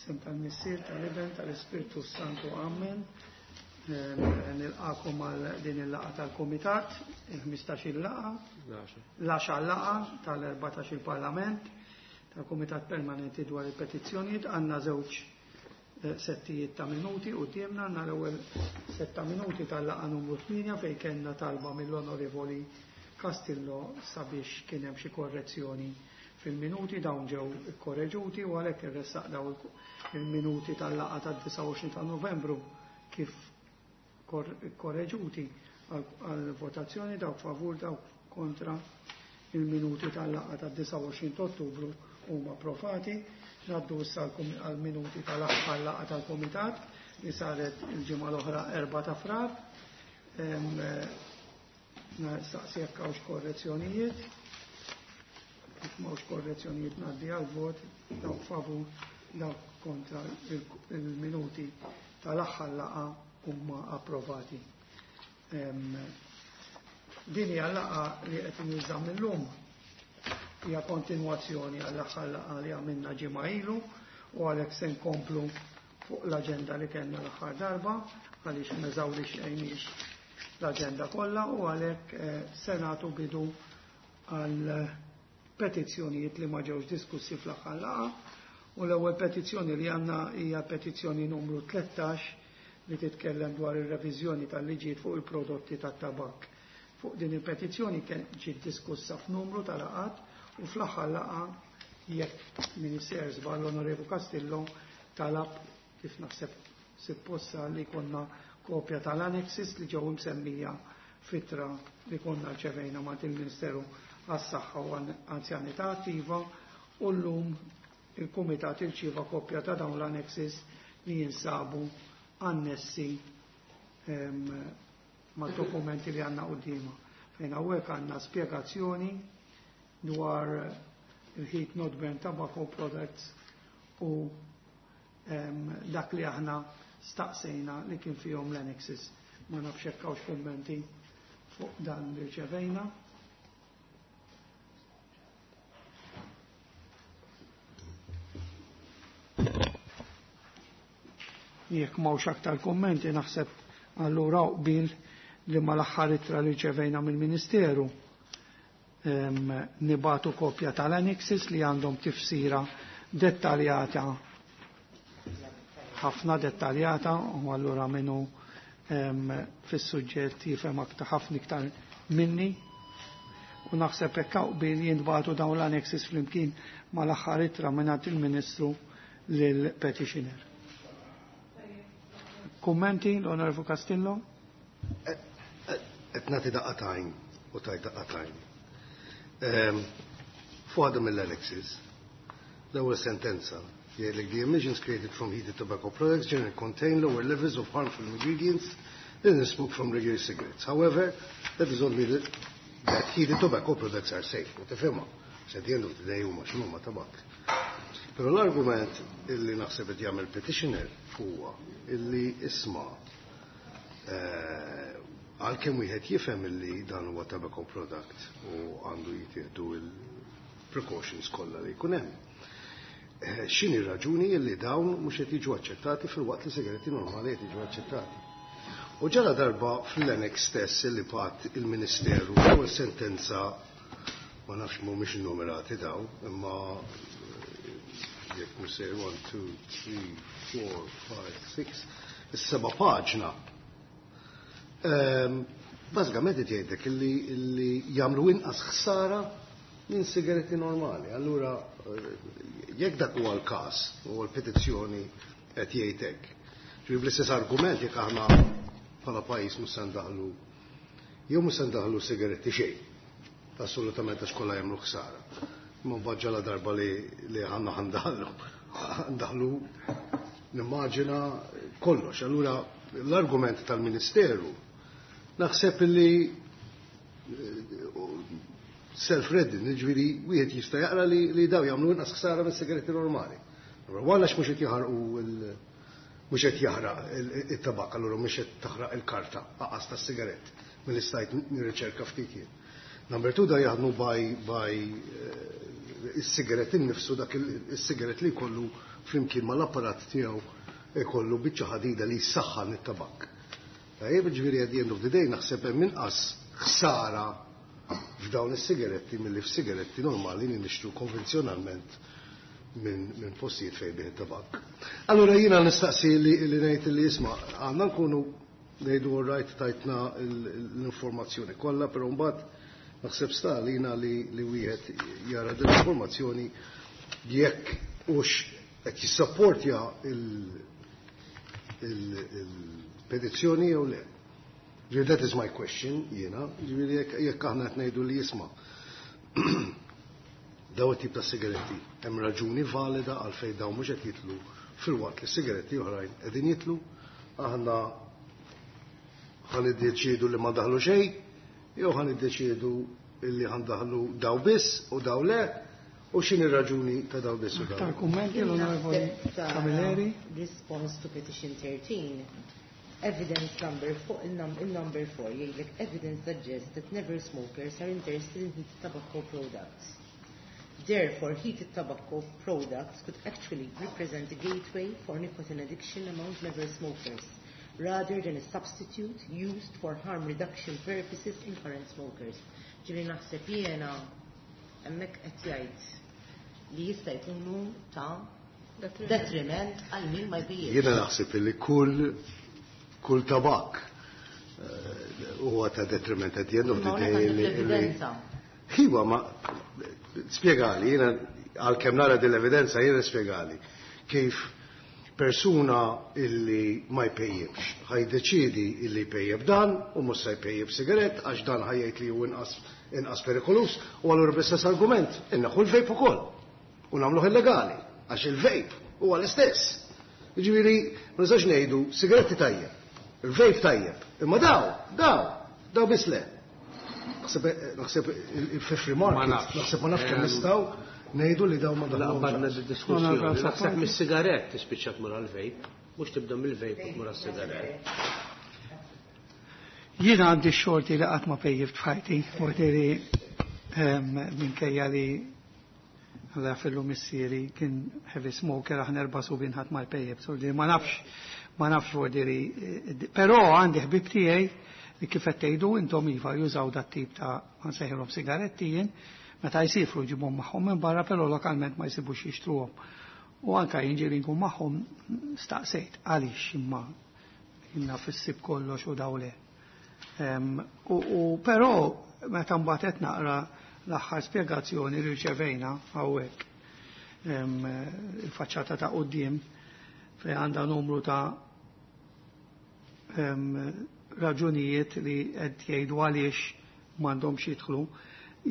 F'isem tal-Missier, tal-Iben, tal-Ispirtu Santu. Amen. Nilqakom għal din il-laqgħa tal-Kumitat, il-15 il-laqgħa, l-10 laqgħa tal-14 il-Parlament, tal-Kumitat Permanenti dwar il-Petizzjonijiet. Għandna żewġ settijiet ta' minuti quddiemna, għandna l-ewwel sett ta' minuti tal-laqgħa numru 8 fejn kellna talba mill-Onorevoli Castillo sabiex kien hemm xi korrezzjoni fil-minuti, dawn ġew ikkoreġuti u għalhekk irressaq daw il-minuti tal-laqgħa tad-29 ta' Novembru kif korreġuti għal votazzjoni. Dawk favur, dawk kontra. Il-minuti tal-laqgħa tad-29 ta' Ottubru huma approvati. Ngħaddu issa għal-minuti tal-aħħar laqgħa tal-Kumitat li saret il-ġimgħa l-oħra, 4 ta' Frar. Nistaqsi jekk hawnx korrezzjonijiet. Jekk m'hawnx korrezzjonijiet, ngħaddi għal-vot. Dawk favur, dawk kontra. Il-minuti tal-aħħar laqgħa huma approvati. Din hija laqgħa li qed inżamm illum, hija kontinwazzjoni għall-aħħar laqgħa li għamilna ġimgħa ilu u għalhekk se nkomplu fuq l-aġenda li kellna l-aħħar darba, għaliex m'eżawrixxejniex l-aġenda kollha, u għalhekk se nagħtu bidu għal petizzjonijiet li ma ġewx diskussi fl-aħħar laqgħa. U l-ewwel petizzjoni li għandna hija petizzjoni numru 13 li titkellem dwar ir-reviżjoni tal-liġijiet fuq il-prodotti tat-tabak. Fuq din il-petizzjoni kien ġiet diskussa f'numru ta' laqgħat u fl-aħħar laqgħa, jekk Minister żball, l-Onorevu Castillo talab, kif naħseb supposta, li konna kopja tal-annexes li ġew imsemmija f'ittra li konna rċevejna ma' il-Ministeru għas-Saħħa u Anzjanità Attiva, u llum il-Kumitat irċieva kopja ta' dawn l-annexes li jinsabu annessi ma' dokumenti li għandna quddiemna. Fejn hawnhekk għandna spjegazzjoni dwar il-heat not burn tobacco products u dak li aħna staqsejna li kien fihom l-annexes. Ma nafx hekk hawnx kummenti fuq dan li rċevejna. Jekk m'hawnx aktar kummenti, naħseb allura qbil li mal-aħħar ittra li rċevejna mill-Ministeru nibagħtu kopja tal-annexes li għandhom tifsira dettaljata, ħafna dettaljata, u allura minnu fis-suġġett jifhem aktar, ħafna iktar minni. U naħseb hekk qbil jintbagħtu dawn l-annexes flimkien mal-aħħar ittra mingħand il-Ministru lill-petitioner. Kummenti, l-Onorevole Castillo? Qed nagħti daqqa t'għajn u tajt daqqa t'għajn. Fuq mill-annexes, l-ewwel sentenza jgħidlek: "The emissions created from heated tobacco products generally contain lower levels of harmful ingredients than the smoke from regular cigarettes. However, that is only that heated tobacco products are safe." U tifhimha, at the end of the day huma x'huma tabak. Però l-argument illi naħseb qed jagħmel petitioner huwa illi, isma', għalkemm wieħed jifhem illi dan huwa tobacco product u għandu jittieħdu il-precautions kollha li jkun hemm, x'inhi raġuni illi dawn mhux qed jiġu aċċettati filwaqt li sigaretti normali qed jiġu aċċettati? U ġala darba fl-annex stess li bagħat il-Ministeru, u sentenza, ma nafx, mhumiex numerati daw, imma jekk mhux sejjer, 1, 2, 3, 4, 5, 6, is-seba' paġna. Bażikament qed jgħidlek illi jagħmlu inqas ħsara minn sigaretti normali. Allura jekk dak huwa l-każ u l-petizzjoni qed jgħid hekk. Ġifieri bl-istess argument, jekk aħna bħala pajjiż mhux se ndaħlu jew mhux se ndaħlu sigaretti xejn. Assolutament, għax kollha jagħmlu ħsara. Imma mbagħad ġala darba li ħanna ħandaħlu, nimmaġina kollox. Allura l-argument tal-Ministeru naħseb li self-reading, ġifieri wieħed jista' jaqra li daw jagħmlu inqas ħsara mis-sigaretti normali. Allura għax mhux qed jaħarqu, mhux qed jaħraq it-tabak, allura mhux qed taħraq il-karta aqas tas-sigarett, milli stajt nirriċerka ftit jien. Number 2 da jaħdmu by is-sigaret innifsu, dak is-sigaret li jkollu flimkien mal-apparat tiegħu jkollu biċċa ħadida li jsaħħan it-tabak. Tajjeb, ġifieri at the end of the day naħseb hemm inqas ħsara f'dawn is-sigaretti milli f'sigaretti normali li nixtru konvenzjonalment minn postijiet fejn bih it-tabak. Allura jiena nistaqsi li ngħid li isma' għandna nkunu ngħidu all right tajtna l-informazzjoni kollha, però mbagħad naħseb sta għalina li wieħed jara din l-informazzjoni jekk hux qed jissapportja il-petizzjoni jew le. Ġifieri that is my question jiena, ġifieri jekk aħna qed ngħidu li jisma' daw it-tip ta' sigaretti hemm raġuni valida għalfejn dawn mhux qed jitlu filwaqt li sigaretti oħrajn qegħdin jitlu, aħna ħa niddeċiedu li ma daħlu xejn, jew ħa niddeċiedu li ħa ndaħlu daw biss u daw le, u x'inhi raġuni ta' daw biss u daw. Aktar kummenti l-Onorevoli Camilleri? Response to petition 13. Evidence number 4, il-number 4 jgħidlek evidence suggests that never smokers are interested in heated tobacco products. Therefore, heated tobacco products could actually represent a gateway for nicotine addiction among never smokers, rather than a substitute used for harm reduction purposes in current smokers. Ġifieri naħseb jiena hemmhekk qed jgħid li jista' jkunu ta' detriment għal min ma jpejjepx. Jiena naħseb li kull tabak huwa ta' detriment at the end of the Ma day. hawnhekk għandek l-evidenza. Iva, ma spjegali, jiena għalkemm nara din l-evidenza, jiena spjegali kif persuna illi ma jpejjibx ħajdeċidi illi jpejjeb dan u mhux se jpejjeb sigarett għax dan ħajjgħid li hu inqas perikolus, u allura bl-istess argument inneħħu l-vape ukoll u nagħmluh illegali għax il-vape huwa l-istess. Jiġifieri ma nistax ngħidu sigaretti tajjeb, il-vape tajjeb, imma daw biss le. Naħseb il-free market, Ma nafx. naħseb ma nafx kemm nistgħu ngħidu li daw ma La daħlux. qabadna d-diskussjoni. No, no, no, Naħseb no. mis-sigarett tispiċċa tmur għall-vape, mhux tibda mill-vape u tmur għas-sigarett. Jiena għandi x-xorti li qatt ma pejjift f'ħajti, vuol minkejja li Alla fillu missieri kien heavy smoker, aħna erba' subien ħadd ma jpejjeb, so li ma nafx, ma nafx vuol però għandi ħbib tiegħi li kif qed tgħidu intom iva jużaw dat tip ta' ma nsejħilhom sigaretti jien, meta jsifru jġibhom magħhom minn barra, però lokalment ma jsibux jixtruhom. U anka jien ġieli nkun magħhom staqsejt għaliex imma jiena fissib kollox u daw le. U però meta mbagħad qed naqra l-aħħar spjegazzjoni li rċevejna hawnhekk, il-faċċata ta' quddiem fejn għandha numru ta' raġunijiet li qed jgħidu għaliex m'għandhomx jidħlu.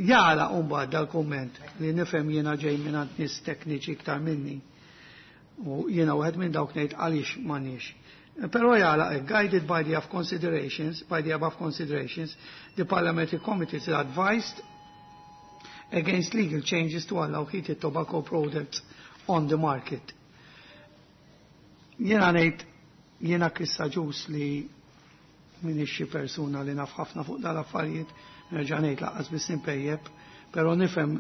Jara mbagħad dal-kumment li nifhem jiena ġej minn għand nies tekniċi iktar minni. U jiena wieħed minn dawk ngħid għaliex m'għandniex. Però jara, guided by the above considerations, by the above considerations, the Parliamentary Committee is advised against legal changes to allow heated tobacco products on the market. Jiena ngħid, jiena Chris Agius li minix xi persuna li naf ħafna fuq dal-affarijiet, nerġa' ngħid lanqas biss impejjeb, però nifhem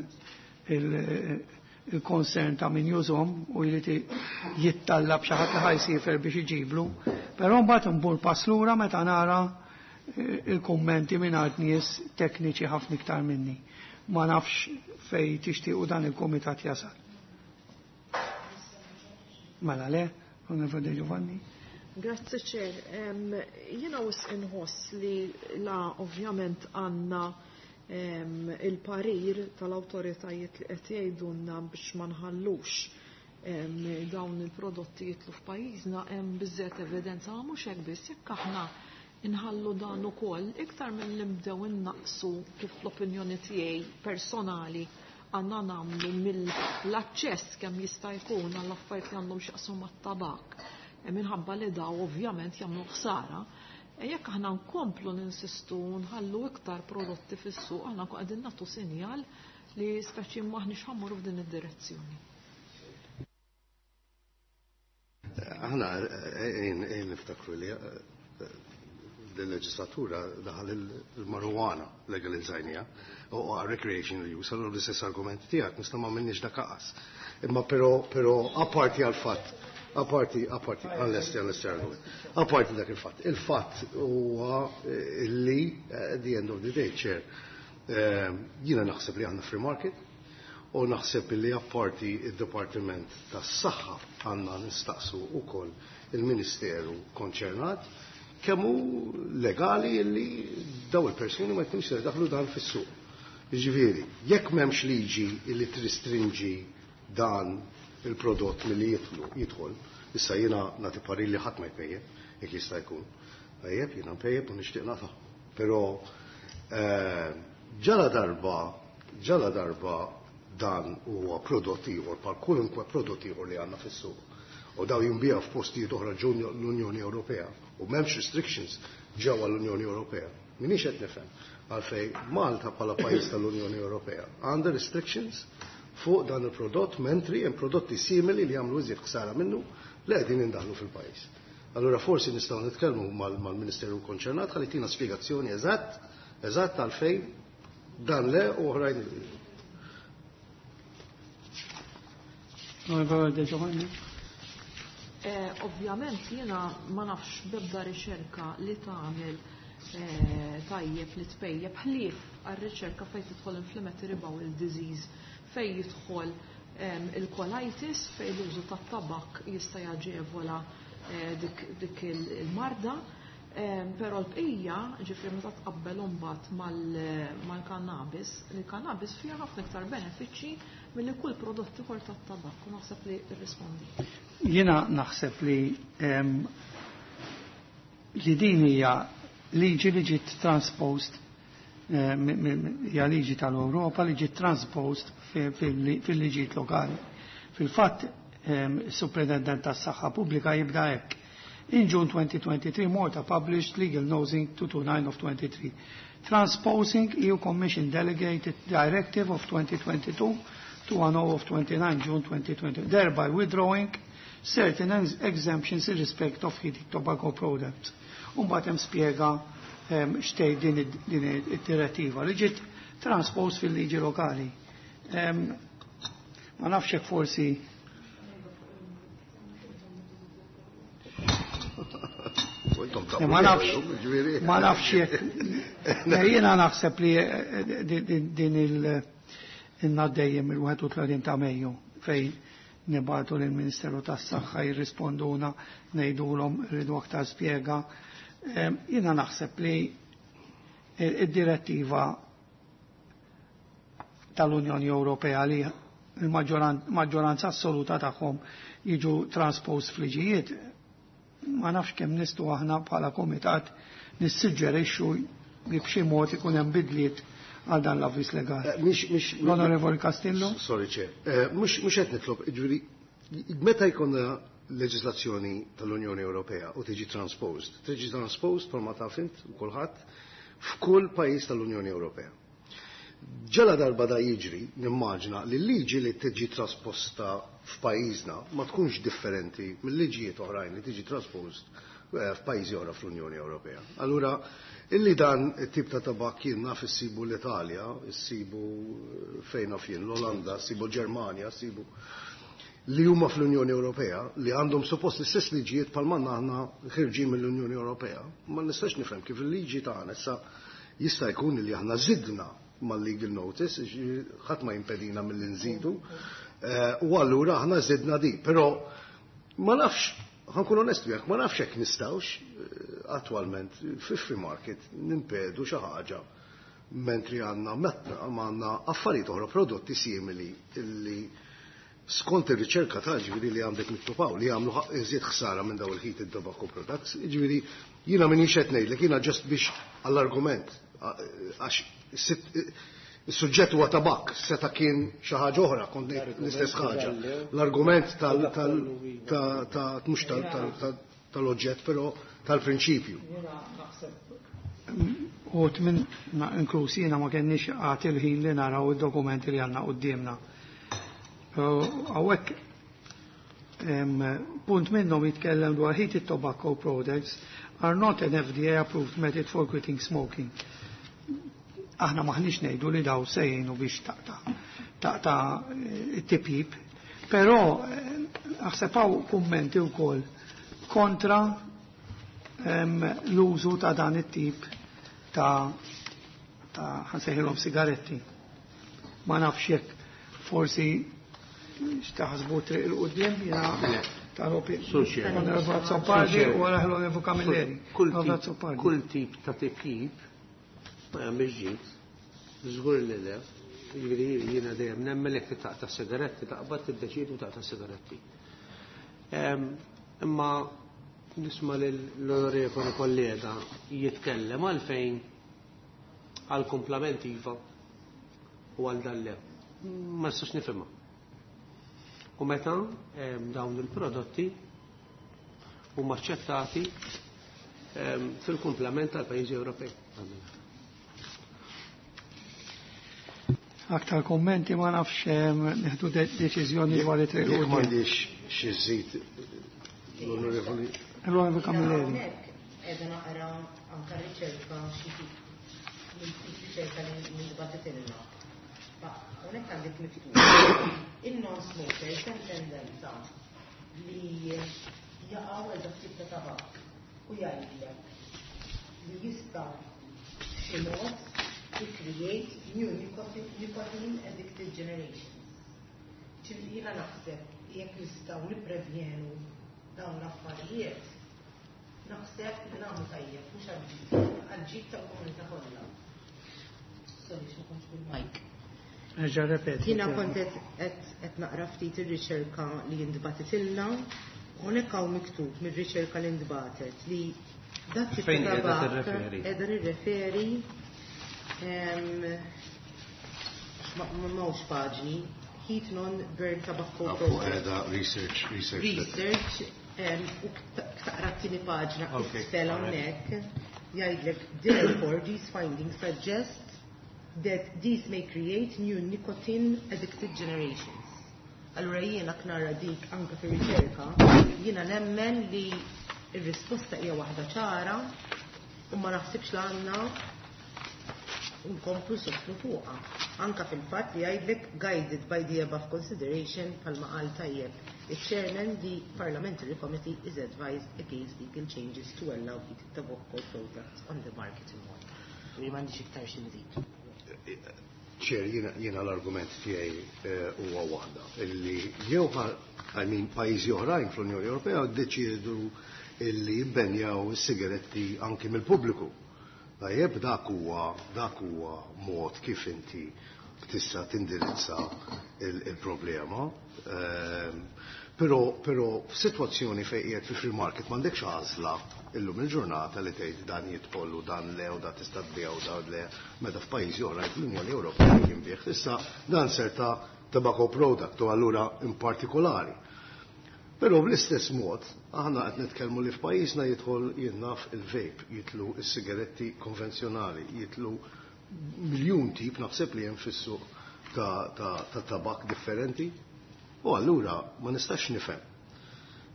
il-concern ta' min jużhom u jrid jittallab xi ħadd li ħajsifer biex iġiblu, però mbagħad nbur pass lura meta nara il-kummenti minn għand nies tekniċi ħafna iktar minni. Ma nafx fej tixtiequ dan il-kumitat jasal. Mela le, Onorevole Giovanni. Grazzi Chair. Jiena wisq inħoss li la ovvjament għandna il-parir tal-awtoritajiet li qed jgħidulna biex ma nħallux dawn il-prodotti jitlu f'pajjiżna, hemm biżżejjed evidenza, ma mhux hekk biss, jekk aħna inħallu dan ukoll iktar milli nibdew innaqsu kif l-opinjoni tiegħi personali għandna nagħmlu mill-aċċess kemm jista' jkun għall affarijiet li għandhom x'jaqsmu mat-tabak. Minħabba li daw ovvjament jagħmlu ħsara. Jekk aħna nkomplu ninsistu nħallu iktar prodotti fis-suq, aħna nkun qegħdin nagħtu sinjal li speċi m'aħniex ħammuru f'din id-direzzjoni. Aħna ejn niftakru li l-leġislatura daħal il-marijuana legalizzajnija u recreational use, allura l-istess argument tiegħek nista' ma minniex dak aqas. Imma però apparti għal fatt, apparti, apparti, għall-esti, għall-esti argument, apparti dak il-fatt. Il-fatt huwa li at the end of the day, chair, jiena naħseb li aħna free market, u naħseb li apparti id-Dipartiment tas-Saħħa għandna nistaqsu wkoll il-Ministeru konċernat kemm hu legali li daw il-persuni ma jkunux daħlu dan fis-suq. Jiġifieri, jekk m'hemmx liġi li tristrinġi dan il-prodott milli jidħol, issa jiena nagħti parir li ħadd ma jpejjep, jekk jista' jkun. Tajjeb, jiena npejjep u nixtieq nagħta. Però ġala darba dan huwa prodott ieħor bħal kwalunkwe prodott ieħor li għandna fis-suq. U daw jinbiegħu f'postijiet oħra ġew l-Unjoni Ewropea u m'hemmx restrictions ġewwa l-Unjoni Ewropea. Minix qed nifhem għalfejn Malta bħala pajjiż tal-Unjoni Ewropea għandha restrictions fuq dan il-prodott mentri hemm prodotti simili li jagħmlu iżjed ħsara minnu li qegħdin indaħlu fil-pajjiż. Allura forsi nistgħu nitkellmu mal-Ministeru konċernat ħalli tina spjegazzjoni eżatt għalfejn dan le u oħrajn. Ovvjament jiena ma nafx bebda riċerka li tagħmel tajjeb li tpejjeb ħlief għar-riċerka fejn tidħol inflammatory bowel disease, fejn jidħol il-colitis, fejn l-użu tat-tabak jista' jaġevola dik il-marda. Però l-bqija, ġifri meta tqabbel imbagħad mal-kannabis, il-kannabis fiha ħafna iktar benefiċċji milli kull prodott ieħor tat-tabak, u naħseb li rrispondi. Jiena naħseb li din hija liġi li ġiet transposed, hija liġi tal-Ewropa li ġiet transposed fil-liġijiet lokali. Fil-fatt, is-Superintendent tas-Saħħa Pubblika jibda hekk. In June 2023, Malta published Legal Nosing 229 of 23, transposing EU Commission Delegated Directive of 2022 to 10 of 29 June 2020, thereby withdrawing certain exemptions in respect of heated tobacco products. Umbagħad hemm spjega xtejn din id-direttiva li ġiet transposed fil-liġi lokali. Ma nafx hekk forsi Ma nafx, ma nafx jekk. Jiena naħseb li din il-naddejjem il-31 ta' Mejju fejn nibatu lill-Ministeru tas-Saħħa jirrisponduna ngħidulhom rridu aktar spjega. Jiena naħseb li id-direttiva tal-Unjoni Ewropea li il-maġġoranza assoluta tagħhom jiġu transposed fliġijiet, ma nafx kemm nistgħu aħna bħala komitat nissuġġerixxu li b'xi mod ikun hemm bidliet għal dan l-avviż legali. L-Onorevoli Castillo? Sorry, Chair. Mhux qed nitlob, jiġifieri meta jkollna leġislazzjoni tal-Unjoni Ewropea u tiġi transposed, tiġi transposed bħalma taf int u kulħadd f'kull pajjiż tal-Unjoni Ewropea. Ġala darba da jiġri, nimmaġina li l-liġi li tiġi trasposta f'pajjiżna ma tkunx differenti mill-liġijiet oħrajn li tiġi traspost f'pajjiżi oħra fl-Unjoni Ewropea. Allura, illi dan it-tip ta' tabak jien naf issibu l-Italja, issibu fejn naf jien l-Olanda, issibu l-Ġermanja, issibu li huma fl-Unjoni Ewropea, li għandhom suppost l-istess liġijiet bħal manna aħna ħirġin mill-Unjoni Ewropea. Ma nistax nifhem kif il-liġi tagħna issa jista' jkun li aħna żidna mal-legal notice, ħadd ma jimpedina mill-li nżidu, u allura aħna żidna di. Però ma nafx, ħankun onest miegħek, ma nafx hekk nistgħux attwalment fi free market nimpedu xi ħaġa mentri għandna metta għandna affarijiet oħra prodotti simili illi skont ir-riċerka ta' ġifieri li għandek mittupaw li jagħmlu iżjed ħsara minn daw il-heated tobacco products, ġifieri jiena minix qed ngħidlek, jiena ġast biex għall-argument għax is-suġġett huwa tabak, seta' kien xi ħaġa oħra, kont ngħid l-istess ħaġa. L-argument mhux tal-oġġett, però tal-prinċipju. U minn inkluż jiena ma kenniex għad il-ħin li naraw id-dokumenti li għandna quddiemna. Hawnhekk punt minnhom jitkellem dwar heated tobacco products are not an FDA approved method for quitting smoking. Aħna maħniex ngħidu li daw se jgħinu biex taqta' taqta' it-tipjip, però aħseb hawn kummenti wkoll kontra l-użu ta' dan it-tip ta' ħa nsejħilhom sigaretti. Ma nafx jekk forsi x'taħsbu triq 'il quddiem jiena tal-opi. Onorevole Azzopardi u wara l-Onorevole Camilleri. Kull tip ta' tipjip ma jagħmilx ġid. Żgur li le. Jiġifieri jiena dejjem nemmen jekk taqta' sigaretti taqbad tiddeċiedi u taqta' sigaretti. Imma nisma' l-onorevoli kollega jitkellem għalfejn għal kumplament iva u għal dan le. Ma nistax nifhimha. U meta dawn il-prodotti huma aċċettati fil-kumplament tal-pajjiżi Ewropej. Aktar kommenti ma nafx nieħdu deċiżjoni dwar it-triq. Jekk m'għandix xi żid l-Onorevoli. L-Onorevoli Camilleri. Qiegħda naqra anke riċerka xi riċerka li ntbagħtitilna. Hawnhekk għandek miktub il-non-smokers hemm tendenza li jaqgħu għal dak tip ta' tabak u jgħidlek li jista' b'xi mod to create new nicotine addicted generations. Ġifieri jiena naħseb jekk nistgħu nipprevjenu dawn l-affarijiet, naħseb li nagħmlu tajjeb mhux għall-ġid tal-komunità kollha. Sorry, ma kontx bil-mic. Erġa' repeti. Jiena kont qed naqra ftit ir-riċerka li ntbagħtitilna, hawnhekk hawn miktub mir-riċerka li ntbagħtet li dak tip Fejn ta' qiegħda tabak tirreferi? qiegħda nirreferi ma m'hawnx paġni, Heat Non Burn Tobacco Fuq Product. qiegħda research, research. Research, u taqra t-tieni paġna isfel hawnhekk jgħidlek therefore these findings suggest that these may create new nicotine addicted generations. Allura jiena knara dik anke fir-riċerka, jiena nemmen li r-risposta hija waħda ċara u ma naħsibx li għandna nkomplu sostnu fuqha. Anka fil-fatt li jgħidlek guided by the above consideration bħalma qal tajjeb. Il-chairman, the Parliamentary Committee is advised against legal changes to allow heated tobacco products on the market in Malta. Li m'għandix iktar xi nżid. Chair, jiena l-argument tiegħi huwa waħda illi jew I mean, pajjiżi oħrajn fl-Unjoni Ewropea ddeċiedu illi jibbenjaw is-sigaretti anki mill-pubbliku. Tajjeb, dak huwa mod kif inti tista' tindirizza il-problema. Però f'sitwazzjoni fejn qiegħed fi free market m'għandekx għażla illum il-ġurnata li tgħid dan jidħol u dan le u dan tista' tbigħ u dan le, meta f'pajjiżi oħra fl-Unjoni Ewropea jinbigħ. Issa dan ser ta' tobacco product u allura in partikolari. Però bl-istess mod, aħna qed nitkellmu li f'pajjiżna jidħol jinnaf il-vape, jitlu s-sigaretti konvenzjonali, jitlu miljun tip naħseb li hemm fis-suq ta' tabak differenti. U allura ma nistax nifhem.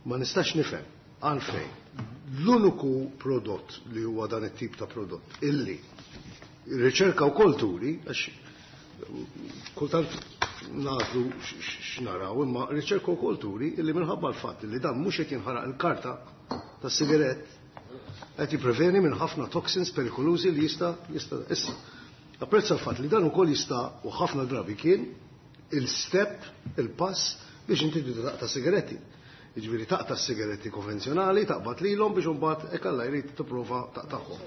Ma nistax nifhem għalfejn. L-uniku prodott li huwa dan it-tip ta' prodott illi riċerka wkoll turi, għax kultant nagħżlu x'naraw, imma riċerka wkoll turi illi minħabba l-fatt li dan mhux qed jinħaraq il-karta tas-sigarett qed jippreveni minn ħafna toxins perikolużi li jista' issa. Apprezza l-fatt li dan ukoll jista' u ħafna drabi kien il-step, il-pass biex inti taqta' sigaretti. Jiġifieri taqta' sigaretti konvenzjonali, taqbad lilhom biex imbagħad hekk Alla jrid tipprova taqtagħhom.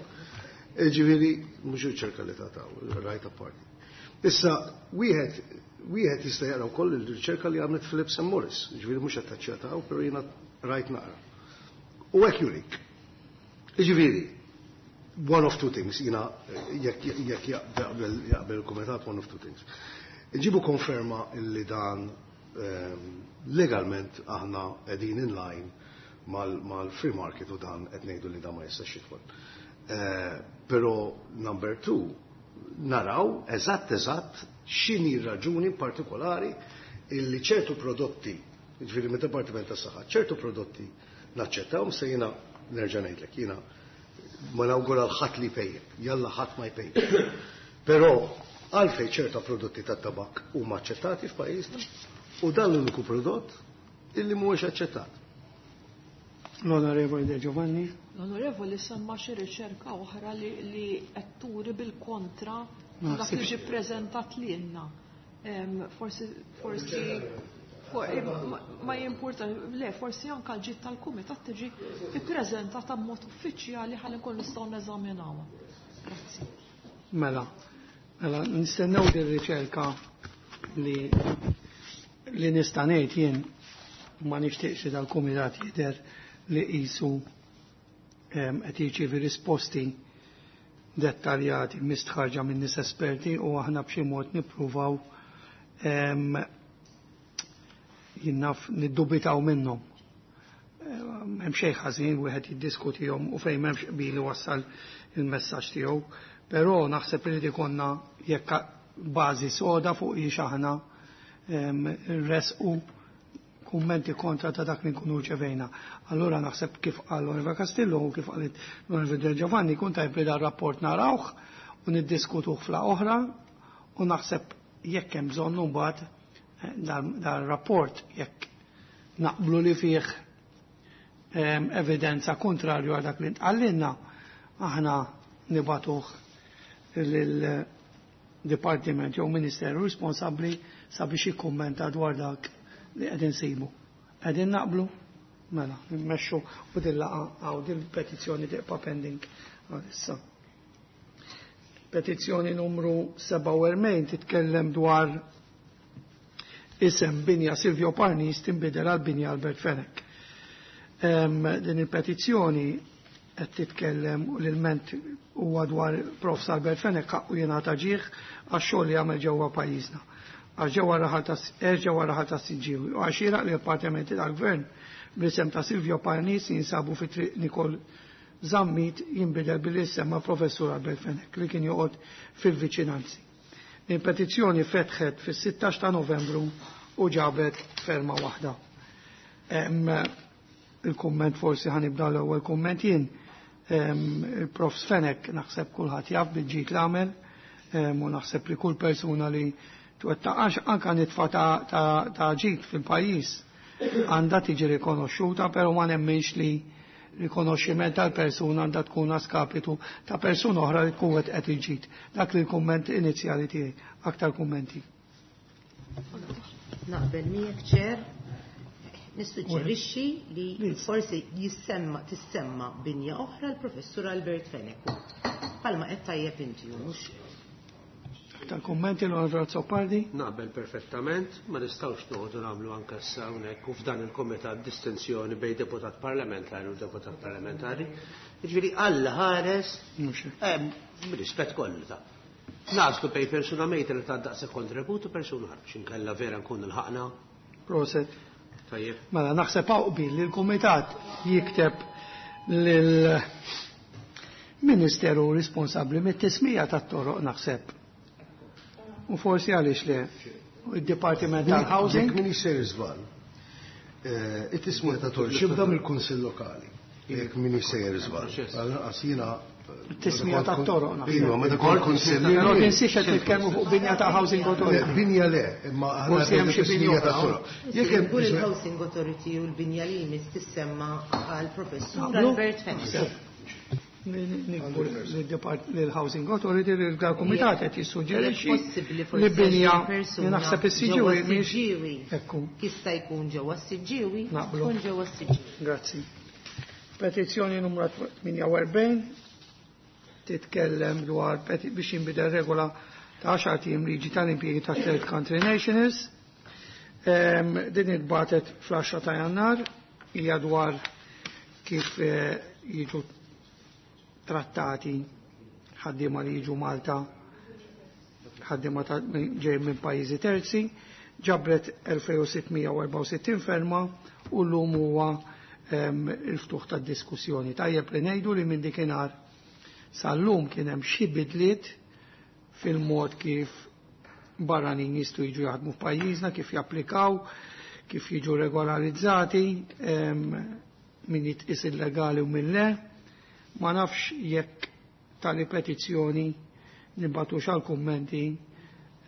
Jiġifieri mhux riċerka li taqtaw, right apart. Issa wieħed jista' jaqra wkoll il-riċerka li għamlet Phillips and Morris, jiġifieri mhux qed taċċettaw, però jiena rajt naqra. U hekk jurik. Jiġifieri, one of two things, jiena jekk jaqbel il-kumitat, one of two things. Nġibu konferma illi dan legalment aħna qegħdin in line mal-free market u dan qed ngħidu li dan ma jistax jidħol. Però number two, naraw eżatt eżatt x'inhi raġuni partikolari illi ċertu prodotti, jiġifieri mid-Dipartiment tas-Saħħa, ċertu prodotti naċċettawhom se jiena nerġa' ngħidlek, jiena Ma nawgura l-ħadd li jpejjep, jalla ħadd ma jpejjep. Però għalfejn ċerta prodotti tat-tabak huma aċċettati f'pajjiżna u dan l-uniku prodott illi mhuwiex aċċettat. L-Onorevoli De Giovanni. L-Onorevoli semma xi riċerka oħra li qed turi bil-kontra dak li ġie ppreżentat lilna. Forsi forsi ma jimpurta le forsi anke l-ġid tal-kumitat tiġi ppreżentata b'mod uffiċjali ħalli nkun nistgħu neżaminawha. Grazzi. Mela, mela nistennew din riċerka li li nista' ngħid jien ma nixtieqx li dal-kumitat jidher li qisu qed jirċievi risposti dettaljati mistħarġa minn nies esperti u aħna b'xi mod nippruvaw jien naf niddubitaw minnhom. Hemm xejn ħażin wieħed jiddiskutihom u fejn m'hemmx qbil iwassal il-messaġġ tiegħu, però naħseb li ikollna jekk bażi soda fuq hiex aħna nressqu kummenti kontra ta' dak li nkunu rċevejna. Allura naħseb kif qal l-Onorevoli Castillo u kif qalet l-Onorevoli Del Giovanni kun tajb li dar rapport narawh u niddiskutuh fla oħra u naħseb jekk hemm bżonn mbagħad dar rapport jekk naqblu li fih evidenza kontrarju għal dak li ntqallilna aħna nibatuh lil dipartiment jew ministeru responsabbli sabiex jikkummenta dwar dak li qegħdin nsibu. Qegħdin naqblu? Mela, nimmexxu u din laqgħa hawn din petizzjoni tibqa' pending għalissa. Petizzjoni numru 47 titkellem dwar isem binja Silvio Parnis tinbidel għal binja Albert Fenech. Din il-petizzjoni qed titkellem u l-ilment huwa dwar Prof. Albert Fenech ħaqqu jingħata ġieħ għax-xogħol li għamel ġewwa pajjiżna. Għax ġewwa raħal ta' ġewwa raħal ta' Siġġiewi u għax xieraq li l-appartamenti tal-Gvern bl-isem ta' Silvio Parnis jinsabu fi triq Nikol Zammit jinbidel billi jissemma Professur Albert Fenech li kien joqgħod fil-viċinanzi. Il-petizzjoni fetħet fis-16 ta' Novembru u ġabet ferma waħda. Il-kumment forsi ħanibda l-ewwel kumment jien. Il-Prof Fenech naħseb kulħadd jaf bil-ġid l-għamel u naħseb li kull persuna li twettaqax anka nitfa ta' ġid fil-pajjiż għandha tiġi rikonoxxuta, però ma nemminx li rikonoxximent tal-persuna għandha tkun a skapitu ta' persuna oħra li tkun qed il-ġid. Dak li l-kumment inizjali tiegħi. Aktar kummenti. Naqbel miegħek ċer. Nissuġġerixxi li forsi jissemma tissemma binja oħra l-Professur Albert Fenech. Palma qed tajjeb inti mhux. Aktar kummenti l-Onorevole Azzopardi? Naqbel perfettament, ma nistgħux noqogħdu nagħmlu anke issa hawnhekk u f'dan il-kumitat distinzjoni bejn deputat parlamentari u deputat parlamentari. Jiġifieri Alla ħares rispett kollu ta'. Naslu bejn persuna mejta li ta' daqshekk kontribut u persuna ħarb inkella vera nkun il-ħaqna. Proset. Tajjeb. Mela naħseb hawn qbil li l-kumitat jikteb lil ministeru responsabbli mit-tismija tat-toroq naħseb. U forsi għaliex le id-Dipartiment tal-Housing. Jekk minix sejjer żball, it-tismija ta' toroq xibda mill-Kunsill Lokali. Jekk minix sejjer żball. Għal-inqas jiena Tismija ta' toroq naħseb. Iva, meta kont kunsill. Però tinsiex qed nitkellmu fuq binja ta' Housing Authority. Binja le, imma aħna Forsi hemm xi tismija binja ta' oħra. toroq. Jekk hemm Kull il-Housing Authority u l-binja li jmiss tissemma għal Professur Naqblu? Albert Fenech. Nikbu l-Housing Authority li l-Kumitat qed jissuġġerixxi Possibbli forsi li binja xi persuna li naħseb is-Siġġiewi ġewwa mhix s-Siġġiewi. Ekku. Jista' jkun ġewwa s-Siġġiewi, Naqblu. tkun ġewwa s-Siġġiewi. Grazzi. Petizzjoni numru 48 titkellem dwar biex jinbidel regola ta' 10 tim liġi tal-impjiegi ta' Third Country Nationals. Din itbatet fl-10 ta' Jannar, hija dwar kif jiġu trattati ħaddiema li jiġu Malta, ħaddiema ġej minn pajjiżi terzi, ġabret 2664 ferma u llum huwa il-ftuħ tad-diskussjoni. Tajjeb li ngħidu li minn dikinhar sal-lum kien hemm xi bidliet fil-mod kif barranin jistgħu jiġu jaħdmu f'pajjiżna, kif japplikaw, kif jiġu regolarizzati, min jitqis illegali u min le. Ma nafx jekk tali petizzjoni nibgħatux għal kummenti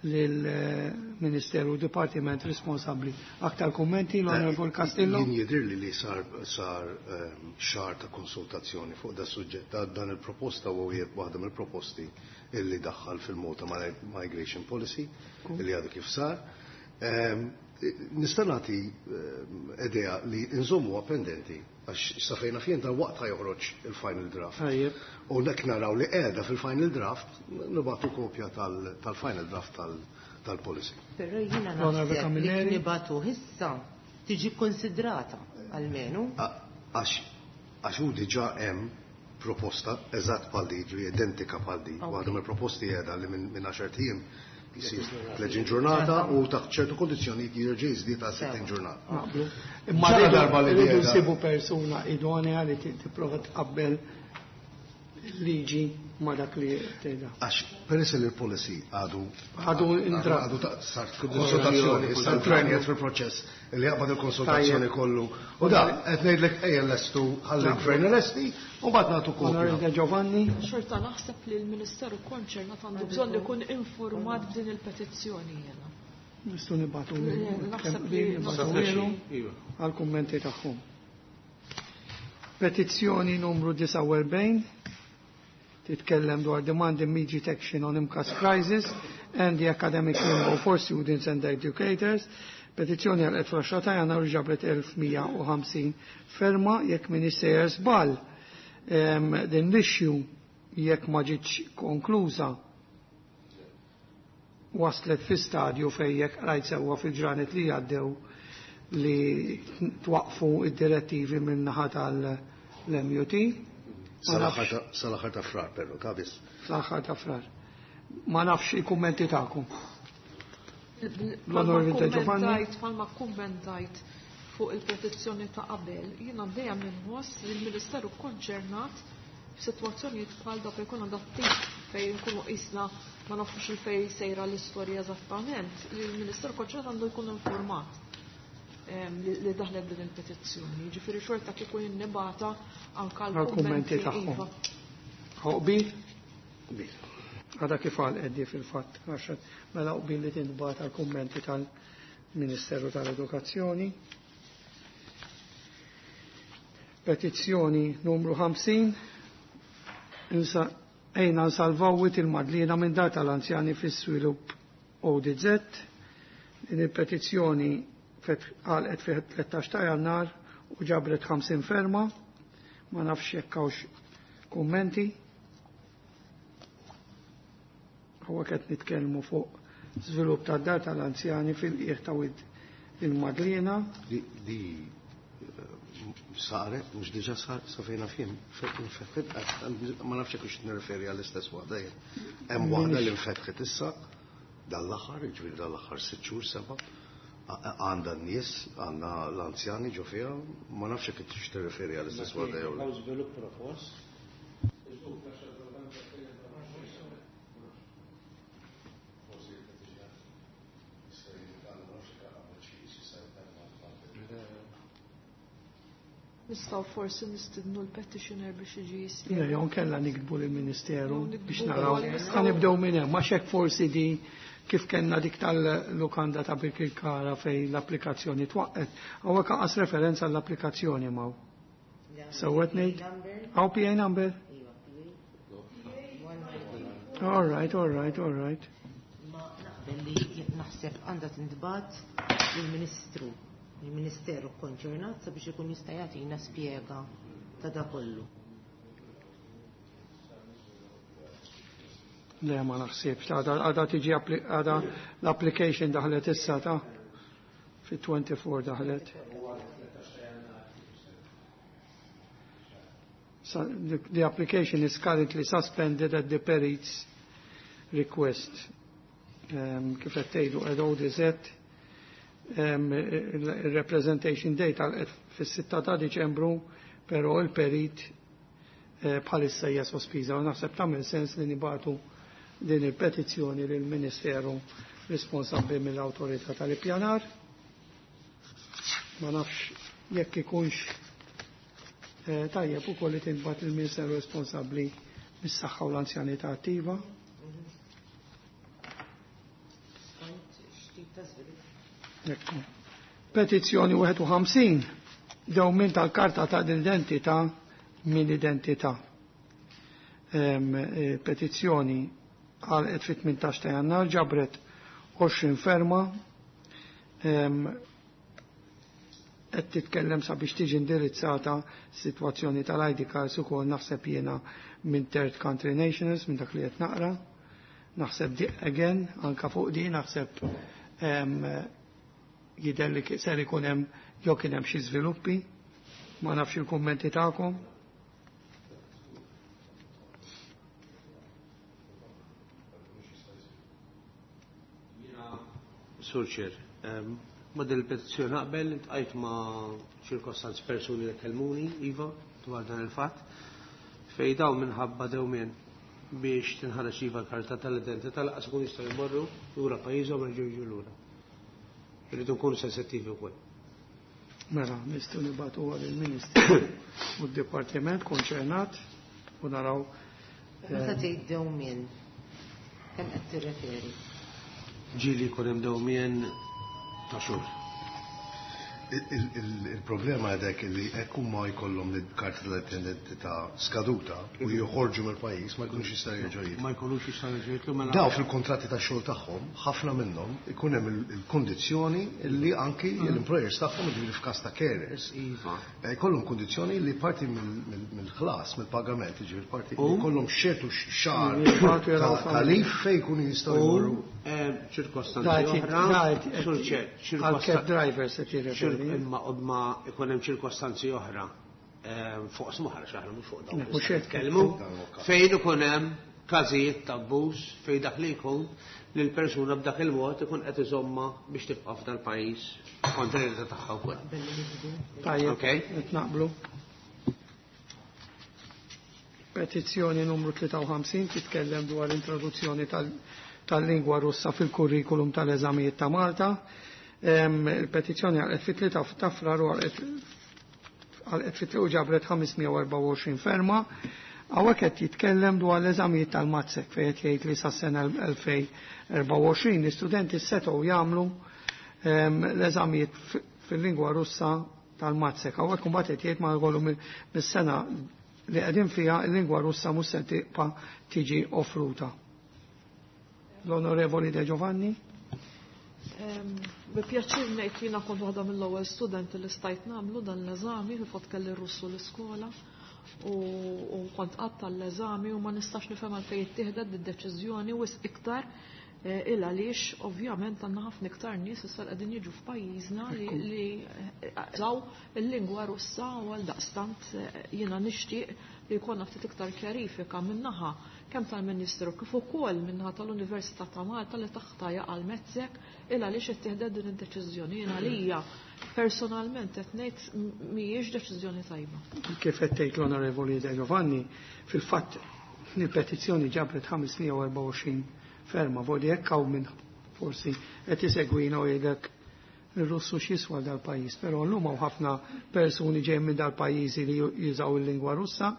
lill-Ministeru Dipartiment responsabbli. Aktar kummenti l-Onorevol Castillo? Jien jidhirli li sar xahar ta' konsultazzjoni fuq da suġġett. Dan il-proposta huwa wieħed waħda mill-proposti illi daħħal fil-Malta Migration Policy illi għadu kif sar. Nista' nagħti idea li nżommuha pendenti għax sa fejna fien dal-waqt joħroġ il-final draft. U nek naraw li qiegħda fil-final draft, nibagħtu kopja tal-final draft tal-policy. Però jiena naħseb li nibagħtu issa tiġi konsidrata almenu. Għax hu diġà hemm proposta eżatt bħal di, ġifieri identika bħal di. Waħda mill-proposti qiegħda li minn 10 ijiem jisir 30 ġurnata u taħt ċertu kondizzjonijiet jirġa' jiżdied għal 60 ġurnata. Imma darba li rridu nsibu persuna idonea li tipprova tqabbel liġi ma dak li tgħidha. Għax peress li l-policy għadu għadu intra għadu sart konsultazzjoni, issa l-gvern qiegħed fil-proċess li jaqbad il-konsultazzjoni kollu. U da qed ngħidlek ejja lestu ħalli l-gvern lesti u mbagħad nagħtu kopja. Onorevole Giovanni. Xorta naħseb li l-Ministeru konċernat għandu bżonn ikun informat b'din il-petizzjoni jiena. Nistgħu nibgħatu għall-kummenti tagħhom. Petizzjoni numru 49 titkellem dwar demand immediate action on MCAS crisis and the academic limbo for students and educators. Petizzjoni għal 10 ta' jannar ġabret 1150 ferma jekk min sejjer żball. Din l-issue jekk ma ġietx konkluża waslet fi stadju fejn jekk rajt sewwa fil-ġranet li għaddew li twaqfu id-direttivi minn naħa tal-MUT. Sal-aħħar ta' frar, però, ta' biss. Sal-aħħar ta' frar. Ma nafx il-kummenti tagħkom. L-Onorevole Giovanni. Palma kummentajt fuq il-petizzjoni ta' qabel, jiena dejjem inħoss li l-Ministeru konċernat f'sitwazzjonijiet bħal dak jkun għandha tip fejn nkunu qisna ma nafux il-fejn sejra l-istorja eżattament, li l-Ministeru konċernat għandu jkun informat li daħlet din il-petizzjoni. Ġifieri xorta kieku jinnibata anke l-kummenti tagħhom. Qbil? Qbil. Għada kif għal Eddi fil-fatt, għax mela qbil li tinbata l-kummenti tal-Ministeru tal-Edukazzjoni. Petizzjoni numru 50 ejna nsalvaw il-Madlina minn dar tal-anzjani fis-svilupp ODZ. Din il-petizzjoni għalqet fi 13 ta' jannar u ġabret 50 ferma, ma nafx jekk hawnx kummenti. Huwa qed nitkellmu fuq żvilupp ta' dar tal-anzjani fil-qiegħ ta' Wid il-Madlina. Di saret, mhux diġà sar sa fejna fiem, ma nafx jekk hux nirreferi għall-istess waħda jien. Hemm waħda li nfetħet issa dal-aħħar, jiġifieri dal-aħħar 6 xhur seba' għandha n-nies, għandha l-anzjani ġo fiha, ma nafx jekk tix tirreferi għall-istess waħda jew. Hawn żvilupp propost. Nistgħu forsi nistidnu l-petitioner biex iġi jispjega. Jew kellha nikdbu lill-Ministeru biex naraw. Ħa nibdew minn hemm, għax hekk forsi di kif kellna dik tal-lukanda ta' Birkirkara fejn l-applikazzjoni twaqqet, hawnhekk anqas referenza għall-applikazzjoni m'hawn. Sewwet ngħid? Hawn PA number? All right, all right, all right. Ma naqbel li naħseb għandha tintbagħat lill-Ministru, il-Ministeru konċernat sabiex ikun jista' jagħtina spjega ta' da kollu. Le, ma naħsibx, għada tiġi għada l-application daħlet issa ta' fi 24 daħlet. The application is currently suspended at the Perit's request. Kif qed tgħidu qed ODZ, il-representation date għal fis-6 ta' Diċembru, però il-perit bħalissa hija sospiża u naħseb tagħmel sens li nibatu din il-petizzjoni lill-Ministeru responsabbli mill-Awtorità tal-Ippjanar. Ma nafx jekk ikunx Tajjeb ukoll li tintbagħat lill-Ministeru responsabbli mis-saħħa u l-anzjanità attiva. Skont x'tip ta' żvilupp. Ekku. Petizzjoni 51 dewmien tal-karta ta' identità mill-identità. Petizzjoni għalqet fit-18 ta' Jannar ġabret 20 ferma qed titkellem sabiex tiġi indirizzata sitwazzjoni tal-ID cards ukoll naħseb jiena minn third country nationals minn dak li qed naqra. Naħseb di again anka fuq di naħseb jidher li ser ikun hemm jew kien hemm xi żviluppi, ma nafx il-kummenti tagħkom. Sur Chair, ma din il-petizzjoni naqbel, iltqajt ma' ċirkostanzi persuni li kellmuni, iva, dwar dan il-fatt, fej dawn minħabba dewmien biex tinħareġ iva l-karta tal-identità laqas ikun jistgħu jmorru lura pajjiżhom jerġgħu jiġu lura. Irridu nkunu sensittivi wkoll. Mela, nistgħu nibgħatu lill-Ministru u d-Dipartiment konċernat u naraw. Meta tgħid dewmien, kemm qed tirreferi? Ġieli jkun hemm dewmien ta' xhur. Il-problema għedek li hekk huma jkollhom il-karta tal-identità skaduta u joħorġu mill-pajjiż ma jkunux jistgħu jerġgħu jidħlu. Ma jkunux jistgħu jerġgħu jidħlu mela. Daw fil-kontratti tax-xogħol tagħhom, ħafna minnhom ikun hemm il-kondizzjoni li anki l-employers tagħhom, jiġifieri f'każ ta' carers, jkollhom kondizzjoni li parti mill-ħlas, mill-pagament, jiġifieri parti jkollhom xertu xahar ta' leave fejn jkunu jistgħu jmorru. Ċirkostanzi oħra, għal-cab drivers qed jirreferi. Imma ma ikun hemm ċirkostanzi oħra fuq smuħar xaħra mhux fuq dawn. Mhux hekk. Nitkellmu fejn ikun hemm każijiet ta' abbuż fejn dak li jkun li l-persuna b'dak il-mod ikun qed iżomma biex tibqa' f'dal-pajjiż kontra l-irda tagħha wkoll. Tajjeb, Okay. qed naqblu. Petizzjoni numru 53 titkellem dwar l-introduzzjoni tal-lingwa Russa fil-kurrikulum tal-eżamijiet ta' Malta. Il-petizzjoni għalqet fit-3 ta' Frar u għalqet fit-3 u ġabret 524 ferma. Hawnhekk qed jitkellem dwar l-eżamijiet tal-Matsec fejn qed jgħid li sas-sena 2024 l-istudenti setgħu jagħmlu l-eżamijiet fil-lingwa Russa tal-Matsec. Hawnhekk imbagħad qed jgħid ma jkollu mis-sena li qegħdin fiha l-lingwa Russa mhux se tibqa' tiġi offruta. L-Onorevoli De Giovanni. Bi pjaċir ngħid li jiena kont waħda mill-ewwel studenti li stajt nagħmlu dan l-eżami, fil-fatt kelli r-Russu l-iskola u kont qatt tal-eżami u ma nistax nifhem għalfejn ittieħdet id-deċiżjoni wisq iktar il għaliex ovvjament għandna ħafna iktar nies issa li qegħdin jiġu f'pajjiżna li jużaw il-lingwa Russa u għal daqstant jiena nixtieq li jkollna ftit iktar kjarifika min-naħa kemm tal-Ministru kif ukoll min-naħa tal-Università ta' Malta li taħta jaqa' l-Matsec il għaliex ittieħdet din id-deċiżjoni. Jiena għalija personalment qed ngħid mhijiex deċiżjoni tajba. Kif qed tgħid l-Onorevoli De Giovanni, fil-fatt il-petizzjoni ġabret 524 ferma, voli hekk hawn minn forsi qed isegwina u jgħidlek il-Russu x'jiswa dal-pajjiż, però llum hawn ħafna persuni ġejjin minn dal-pajjiżi li jużaw il-lingwa Russa,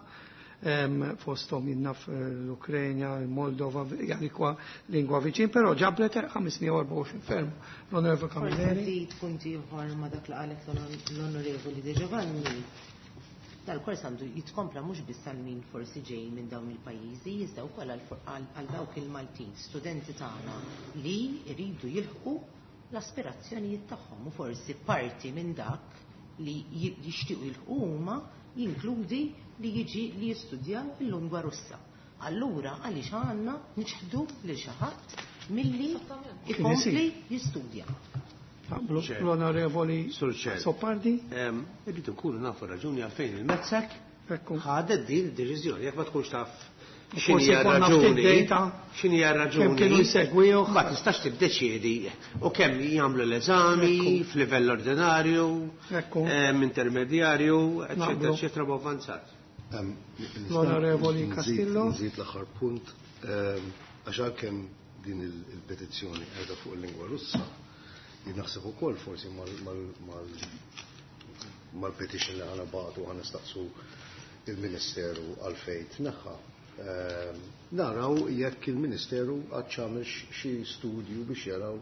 fosthom jinnaf l-Ukrenja, il-Moldova, jani kwa lingwa viċin, però ġabret 524 ferm. L-Onorevoli Forsi Camilleri. żid punti ieħor ma dak li qalet l-Onorevoli De Giovanni. Dal-kors għandu jitkompla mhux biss għal min forsi ġej minn dawn il-pajjiżi, iżda wkoll għal dawk il-Maltin, studenti tagħna li jridu jilħqu l-aspirazzjonijiet tagħhom u forsi parti minn dak li jixtiequ jilħqu huma jinkludi li jiġi li jistudjaw il-lingwa Russa. Allura għaliex għandna niċħdu lil xi ħadd milli ikompli jistudja. Naqblu Ċer. l-Onorevoli Sur Ċer. Azzopardi. Irridu nkunu nafu raġuni għalfejn il-Matsec Ekku. ħadet din id-deċiżjoni, jekk ma tkunx taf Forsi x'inhi konna ftit raġuni, data x'inhi raġuni. kemm kienu jsegwih. Ma tistax tiddeċiedi u kemm jagħmlu l-eżami f'livell ordinarju, intermedjarju, eċetera, Naqblu. eċetera, u avvanzat. L-Onorevoli Castillo. Nżid l-aħħar punt, għax għalkemm din il-petizzjoni qiegħda fuq il-lingwa Russa, jien naħseb ukoll forsi mal-petition li ħana bagħtu ħana staqsu il-Ministeru għalfejn tneħħa. Naraw jekk il-Ministeru għad x'għamel xi studju biex jaraw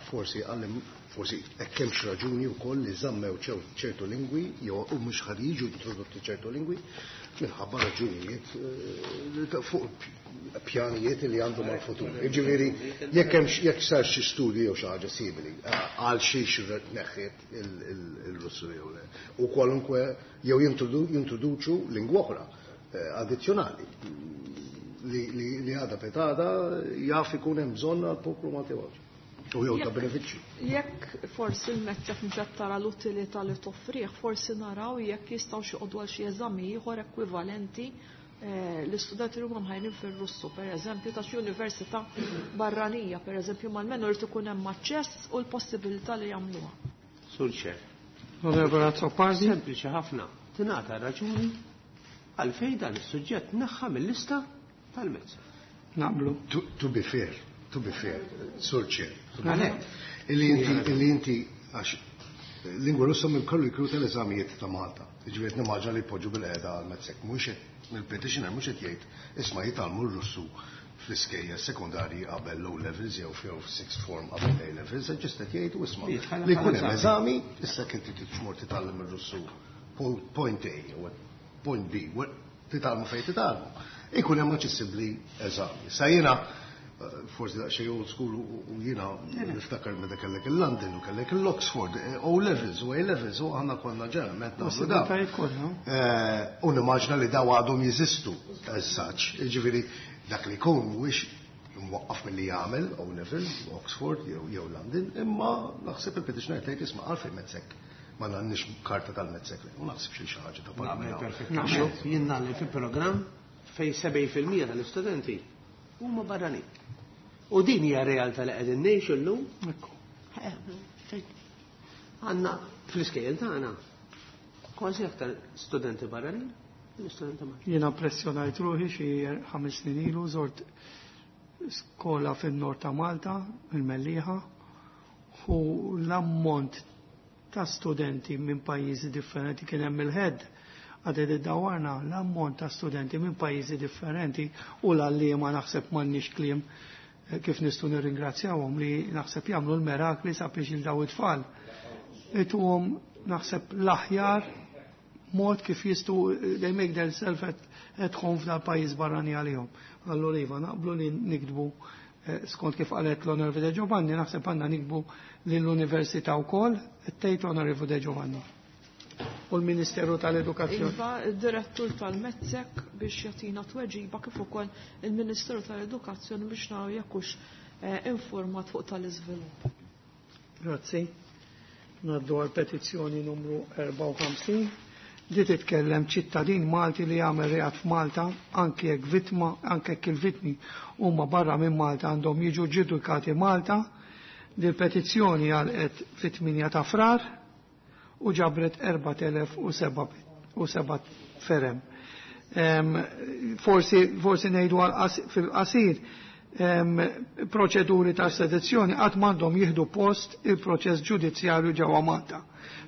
forsi għallim forsi hekk hemmx raġuni wkoll li żammew ċertu lingwi jew u mhux ħad jiġu introdotti ċertu lingwi minħabba raġunijiet fuq pjanijiet li għandhom għal-futur. Jiġifieri jekk hemm jekk sar xi studju jew xi ħaġa simili għal xiex neħħiet il-Russu jew le. U kwalunkwe jew jintroduċu lingwa oħra addizzjonali li għada petada jaf ikun hemm bżonn għall-poplu Malti u Għawdxi. U jew ta' benefiċċju. Jekk forsi l-METSEC mhux qed tara l-utilità li toffrih, forsi naraw jekk jistgħu xi joqogħdu għal xi eżami ieħor ekwivalenti l-istudenti li huma mħajrin fir-Russu, pereżempju ta' xi università barranija, pereżempju mal-menu irid ikun hemm aċċess u l-possibilità li jagħmluha. Sur Chair. Onorevole Azzopardi. Sempliċi ħafna. Tingħata raġuni għalfejn dan is-suġġett naħħa mill-lista tal-METSEC. Naqblu. To be fair, to be fair, Sur Chair. To be fair. Illi inti għax lingwa Russa minn kollu jkunu tal-eżamijiet ta' Malta. Jiġifieri nimmaġina li jpoġġu bil-qiegħda għal METSEC. Mhux il-petitioner mhux qed jgħid isma' jitgħallmu r-Russu fl-iskejjel sekondarji qabel O levels jew jew sixth form qabel A levels, just qed jgħidu isma' Jitħalla li jkun hemm bħala eżami, issa kien trid tmur titgħallem ir-Russu point A jew point B, titgħallmu fejn titgħallmu. Ikun hemm aċċessibbli eżami. Sa jiena forsi daqsxejn old school u jiena niftakar meta kellek il-London u kellek l-Oxford, O levels u A levels u aħna konna ġeneralment nagħmlu dawn. Possibilitajiet kollha. U nimmaġina li daw għadhom jeżistu as such. Jiġifieri dak li jkun mhuwiex mwaqqaf milli jagħmel O level, Oxford jew London, imma naħseb il-petitioner tgħid isma' għalfejn METSEC ma għandniex karta tal-METSEC. U naħseb xi ħaġa ta' Naqbel parlament. perfettament. Jien nagħlem fi programm fejn 70% tal-istudenti huma barranin. U din hija realtà li qegħdin ngħixu llum. Ekku. Għandna fl-iskejjel tagħna kważi aktar studenti barranin minn studenti Maltin. Jiena impressjonajt ruħi xi 5 snin ilu żort skola fin-nord ta' Malta, il-Mellieħa, u l-ammont ta' studenti minn pajjiżi differenti kien hemm il-head għaded id-dawarna l-ammont ta' studenti minn pajjiżi differenti u l-għalliema naħseb m'għandniex kliem kif nistgħu nirringrazzjawhom li naħseb jagħmlu l-merakli sabiex il daw it-tfal. Ituhom naħseb l-aħjar mod kif jistgħu they make themselves at home f'dal pajjiż barrani għalihom. Allura iva naqblu li nikdbu skont kif qalet l-Onorevole De Giovanni, naħseb għandna nikdbu lill-Università wkoll, tgħid Onorevole De Giovanni. U l-Ministeru tal-Edukazzjoni. Iva, id-direttur tal-METSEC biex jagħtina tweġiba kif ukoll il-Ministeru tal-Edukazzjoni biex naraw jekk hux informat fuq tal-iżvilupp. Grazzi. Ngħaddu għal petizzjoni numru 54. Di titkellem ċittadin Malti li jagħmel reat f'Malta, anke jekk vittma, anke jekk il-vittmi huma barra minn Malta għandhom jiġu ġudikati Malta. Di l-petizzjoni għalqet fit-8 ta' Frar u ġabret erba' telef u seba' u seba' ferem. Forsi ngħidu fil-qasir, proċeduri ta' sedizzjoni qatt m'għandhom jieħdu post il-proċess ġudizzjarju ġewwa Malta,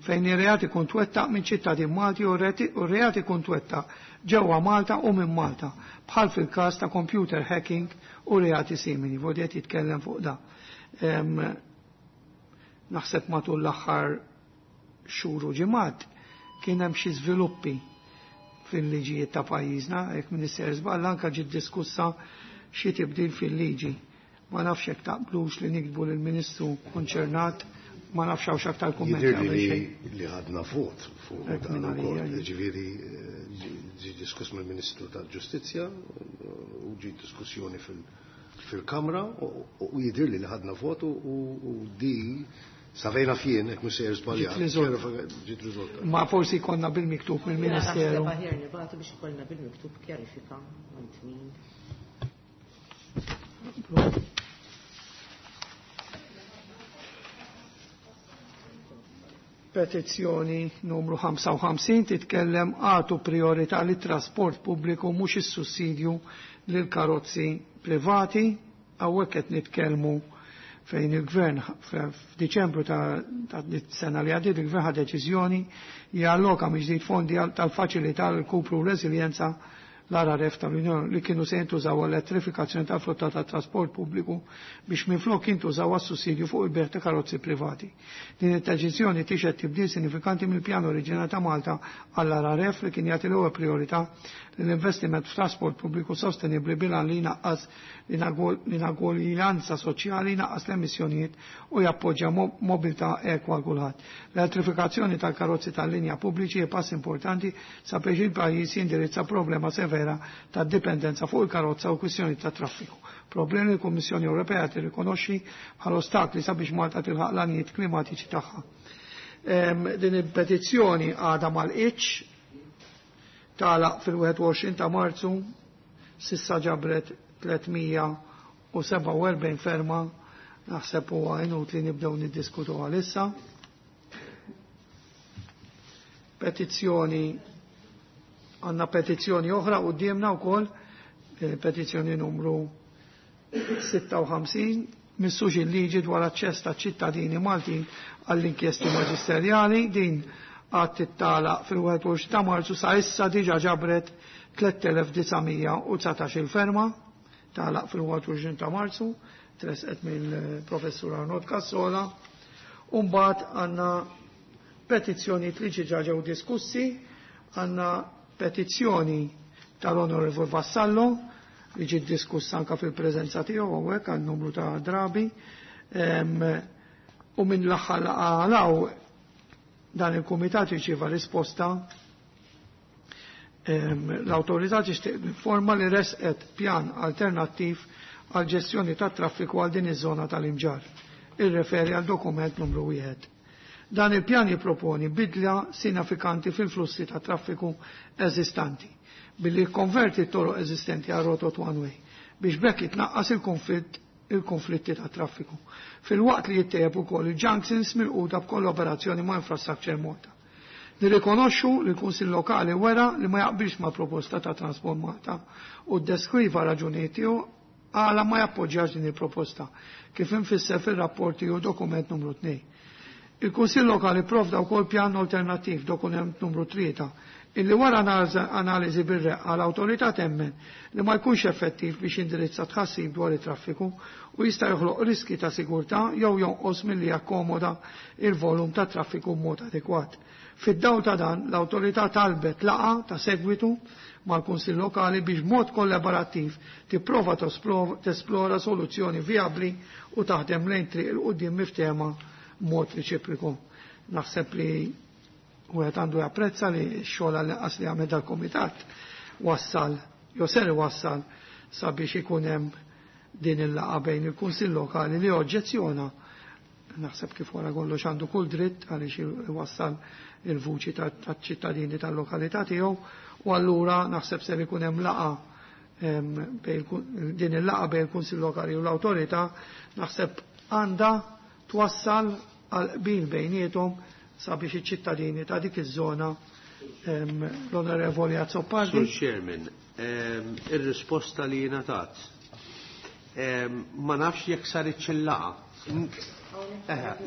fejn ir-reat ikun twettaq minn ċittadin Malti u r-reat ikun twettaq ġewwa Malta u minn Malta, bħal fil-każ ta' computer hacking u reati simili. Vodi qed jitkellem fuq da. Naħseb matul l-aħħar xhur u ġimgħat kien hemm xi żviluppi fil-liġijiet ta' pajjiżna, jekk Minister żball anke ġiet diskussa xi tibdil fil-liġi. Ma nafx jekk taqblux li nikdbu lill-Ministru konċernat, ma nafx hawnx aktar kummenti Jidhirli qabel xejn. li ħadna vot fuq Hekk dan minn ukoll. għalija, jien. Ġifieri, ġie diskuss mill-Ministru tal-Ġustizzja u ġie diskussjoni fil-Kamra u jidhirli li ħadna vot u di savejna fien, jekk mhux sejjer żbaljat. Ġiet riżolta. Ġiet riżolta. Ma forsi konna bil-miktub mill-Ministeru. Naħseb aħjar nibgħatu biex ikollna bil-miktub kjarifika għand min. Petizzjoni numru 55 titkellem għatu priorità li trasport pubbliku mhux is-sussidju lil karozzi privati. Hawnhekk qed nitkellmu fejn il-gvern f'Diċembru ta' sena li għaddiet il-gvern ħa deċiżjoni jalloka mill-ġdid fondi tal-faċilità l-kupru u reżiljenza l-RRF tal-Unjoni li kienu se jintużaw għall-elettrifikazzjoni tal-flotta tat trasport pubbliku biex minflok jintużaw għas-sussidju fuq il-bejgħ ta' karozzi privati. Din id-deċiżjoni tixhed tibdil sinifikanti mill-pjan oriġinali ta' Malta għall-RRF li kien jagħti l-ewwel priorità l-investiment f'trasport pubbliku sostenibbli bil-għan li jnaqqas l-inugwaljanza soċjali, jnaqqas l-emissjonijiet u jappoġġja mobilità ekwa għal kulħadd. L-elettrifikazzjoni tal-karozzi tal-linja pubbliċi hi pass importanti sabiex il-pajjiż jindirizza problema severa ta' dipendenza fuq il-karozza u kwistjoni ta' traffiku. Problemi li l-Kummissjoni Ewropea tirrikonoxxi bħala ostakli sabiex Malta tilħaq l-għanijiet klimatiċi tagħha. Din il-petizzjoni għadha mal-iċ tagħlaq fil-21 ta' Marzu, s'issa ġabret 347 ferma, naħseb huwa inutli nibdew niddiskutu għalissa. Petizzjoni, għandna petizzjoni oħra quddiemna wkoll, petizzjoni numru 56, missux il-liġi dwar aċċess ta' ċittadini Maltin għall-inkjesti maġisterjali, din għad tittalaq fil-21 ta' Marzu, sa' issa diġa ġabret 3919 il-ferma, tagħlaq fil-21 ta' Marzu, tresqet mill-professur Arnold Cassola. Umbagħad għandna petizzjoni li ġiġa ġew diskussi, għandna petizzjoni tal-Onorevol Vassallo li ġiet diskussa anka fil-preżenza tiegħu hawnhekk għal numru ta' drabi. U minn l-aħħar laqgħa dan il-kumitat irċieva risposta. L-awtorità tixtieq informa li resqet pjan alternattiv għal ġestjoni tat traffiku għal din iż-żona tal-Imġar. Irreferi għal dokument numru 1. Dan il-pjan jipproponi bidla sinifikanti fil-flussi ta' traffiku eżistanti billi jikkonverti t-toroq eżistenti għal rotot one way biex b'hekk jitnaqqas il-konflitt il-konflitti ta' traffiku. Filwaqt li jittejjeb ukoll il-junctions milquta b'kollaborazzjoni ma' Infrastructure Malta. Nirrikonoxxu li l-Kunsill Lokali wera li ma jaqbilx ma' proposta ta' Transport Malta u ddeskriva raġunijiet tiegħu għala ma jappoġġjax din il-proposta kif infisser fir-rapport tiegħu dokument numru 2. Il-Kunsill Lokali provda wkoll pjan alternattiv dokument numru 3 illi wara analiżi bir-reqqa l-awtorità temmen li ma jkunx effettiv biex indirizza tħassib dwar it-traffiku u jista' joħloq riski ta' sigurtà jew jonqos milli jakkomoda il-volum ta' traffiku b'mod adekwat. Fid-dawl ta' dan, l-awtorità talbet laqgħa ta' segwitu mal-Kunsill Lokali biex b'mod kollaborattiv tipprova tesplora soluzzjoni vijabbli u taħdem lejn triq il quddiem miftehma b'mod reċiproku. Naħseb li wieħed għandu japprezza li x-xogħol għall-inqas li għamel dal-kumitat wassal, jew ser iwassal sabiex ikun hemm din il-laqgħa bejn il-Kunsill Lokali li oġġezzjona, naħseb kif wara kollox għandu kull dritt għaliex iwassal il-vuċi taċ-ċittadini tal-lokalità tiegħu, u allura naħseb ser ikun hemm laqgħa din il-laqgħa bejn il-Kunsill Lokali u l-awtorità naħseb għandha twassal għal qbil bejniethom sabiex iċ-ċittadini ta' dik iż-żona. L-Onorevoli Azzopardi. Sur Chairman, ir-risposta li ngħatat ma nafx jekk saritx il-laqgħa.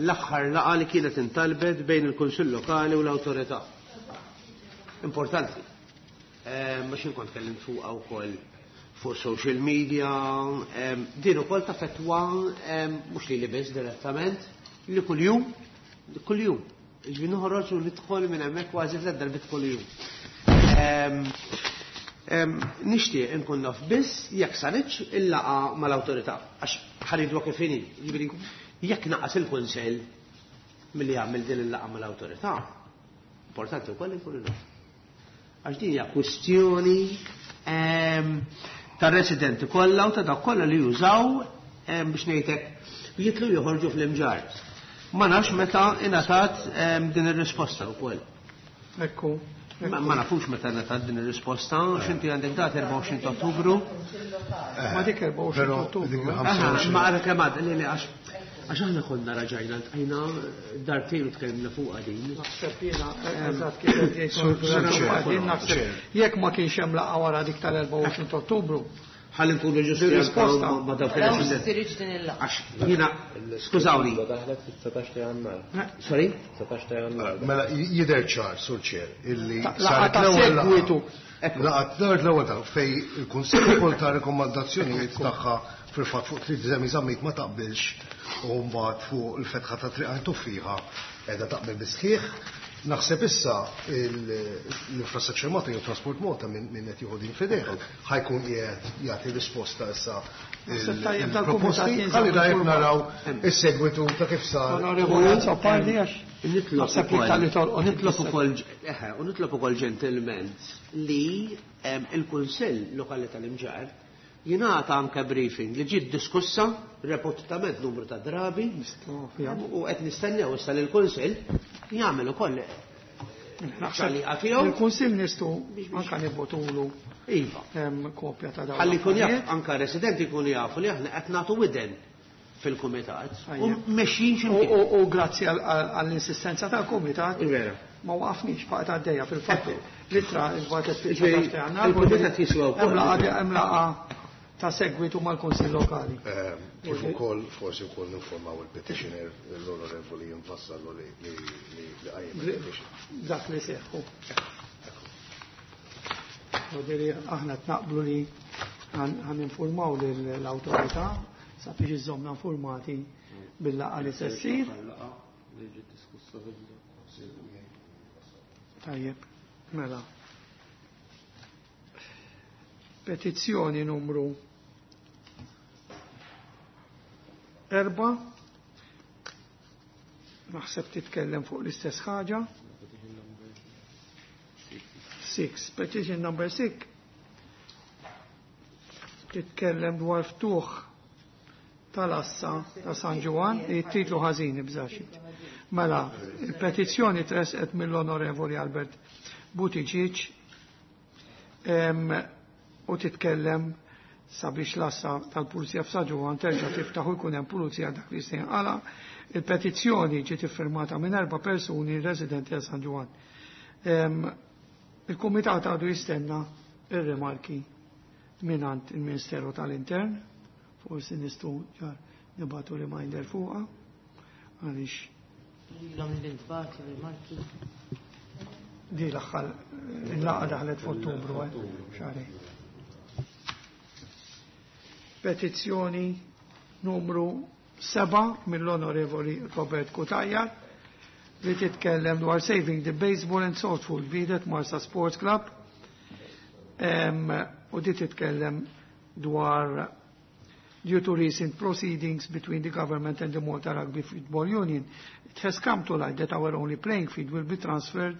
L-aħħar laqgħa li kienet intalbet bejn il-Kunsill Lokali u l-Awtorità. Importanti. Mhux inkont tkellimt fuqha wkoll fuq social media, din ukoll tafettwa mhux lili biss direttament, li kuljum, kuljum. Ġifieri noħroġ u nidħol minn hemmhekk kważi tliet darbiet kuljum. Nixtieq inkun naf biss jekk saritx il-laqgħa mal-awtorità, għax ħaridwa kif inhi. Ġifieri jekk naqas il-Kunsell milli jagħmel din il-laqgħa mal-awtorità, importanti wkoll inkunu naf. Għax din hija kwistjoni tar-residenti kollha u ta' dawk kollha li jużaw biex ngħidlek jitlu joħorġu fl-Imġarr. Ma nafx meta ingħatat din ir-risposta wkoll. Ekku. Ma nafux meta ingħatat din ir-risposta, x'inti għandek dat 24 ta' Ottubru. Ma dik 24 Però Ottubru. dik eh? il-25. Ma għara kemm għad, li, li, għax aħna konna raġajna, ltqajna dartejn u tkellimna fuqha din. Naħseb jiena, eżatt kif qed jgħid Sur- Sur Sur Chair. Chair. Naħseb jekk ma kienx hemm laqgħa wara dik tal-24 ta' Ottubru, Ħalli nkunu ġusti Risposta. ma dawk Raw il-residenti. ssirx din il-laqgħa. Għax jiena, skużawni. Daħlet fit-19 ta' Jannar. Sorry? 19 ta' Jannar. Mela, jidher ċar, Sur Chair, illi Laqgħa saret ta' l-ewwel laqgħa. segwitu. Laqgħa saret l-ewwel laqgħa fej il-Kunsill ukoll ta' rekomandazzjonijiet tagħha fil-fatt fuq Triq Demi Zammit ma taqbilx u mbagħad fuq il-fetħa ta' Triq Għajn Tuffieħa qiegħda taqbel bisħieħ. Naħseb issa l-Infrastructure Malta jew Transport Malta minn qed jieħu din f'idejh ħa jkun qiegħed jagħti risposta issa Naħseb tajjeb dal-kumitat il-proposti. jinżamm Ħalli dajjeb informat. naraw is-segwitu ta' kif sar. Onorevoli Azzopardi għax Nitlob naħseb li tal-li tolqot. Nitlob ukoll eħe, u nitlob ukoll ġentilment li il-Kunsill Lokali tal-Imġarr jingħata anke briefing li ġiet diskussa reputament numru ta' drabi u qed nistennew issa li l-Kunsill jagħmel ukoll ċaliqa tiegħu. Il-Kunsill nistgħu anke nibgħotulu Iva. kopja ta' dawn. Ħalli jkun jaf, l-affarijiet. anka residenti jkunu jafu li aħna qed nagħtu widen fil-kumitat u Tajjeb. mexjin U- x'imkien. U grazzi għall-insistenza tal-Kumitat Vera. ma waqafniex baqgħet għaddejja fil-fatt l-ittra nbagħtet Ġifieri, fil-19 ta' Jannar. il-Kumitat jiswa wkoll. Hemm laqgħa ta' segwitu mal-Kunsill Lokali. Kif ukoll forsi wkoll ninformaw il-petitioner l-onorevoli jinfassallu li li li li qajjem il-petition. Dak li seħħu. Vodiri aħna tnaqblu li għan informaw l-autorità sabiex iżomna informati bil-laqgħa li se ssir. Tajjeb, mela. Petizzjoni numru 4. Naħseb titkellem fuq l-istess ħaġa. 6. Petition number 6. Titkellem dwar ftuħ tal-assa ta' San Ġwann, it-titlu ħażin ibżaxit. Mela, il-petizzjoni tresqet mill-Onorevoli Albert Buttigieg u titkellem sabiex l-assa tal-Pulizija f'San Ġwann terġa' tiftaħ u jkun hemm pulizija dak li se jinqala. Il-petizzjoni ġiet iffirmata minn 4 persuni residenti ta' San Ġwann. Il-Kumitat għadu jistenna ir-rimarki mingħand il-Ministeru tal-Intern, forsi nistgħu ġar nibgħatu reminder fuqha għaliex Ilhom l-intbagħtu rimarki. Di l-aħħar il-laqgħa daħlet f'Ottubru, xahar. Petizzjoni numru 7 mill-Onorevoli Robert Cutajar li titkellem dwar Saving the Baseball and Softball Field Marsa Sports Club. U di titkellem dwar due to recent proceedings between the government and the Malta Rugby Football Union, it has come to light that our only playing field will be transferred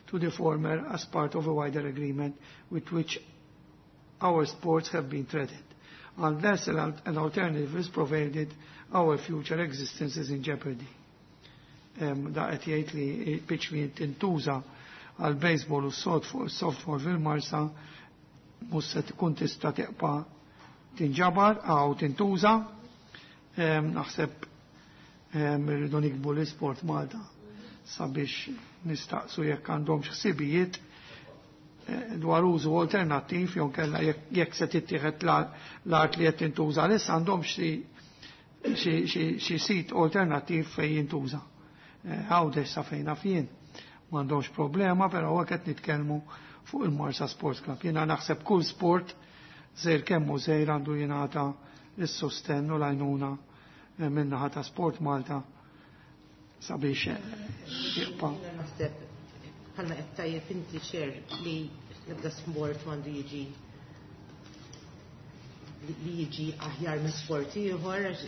to the former as part of a wider agreement with which our sports have been threatened. Unless an alternative is provided, our future existence is in jeopardy. Da qed jgħid li pitch li tintuża għal baseball u softball fil-Marsa mhux se tkun tista' tibqa' tinġabar għaw tintuża. Naħseb irridu nikbu l-Isport Malta sabiex nistaqsu jekk għandhom ħsibijiet dwar użu alternattiv jew kellha jekk se tittieħed l-art li qed tintuża issa għandhom xi sit alternattiv fejn jintuża. Għawdex sa fejn naf jien m'għandhomx problema, però hawnhekk qed nitkellmu fuq il-Marsa Sports Club. Jiena naħseb kull sport żejr kemm hu żejr għandu jingħata s-sostenn u l-għajnuna min-naħa ta' Sport Malta sabiex jibqa'. Naħseb bħalma qed tajjeb inti xer li l-ebda sport m'għandu jiġi li jiġi aħjar minn sport ieħor, għax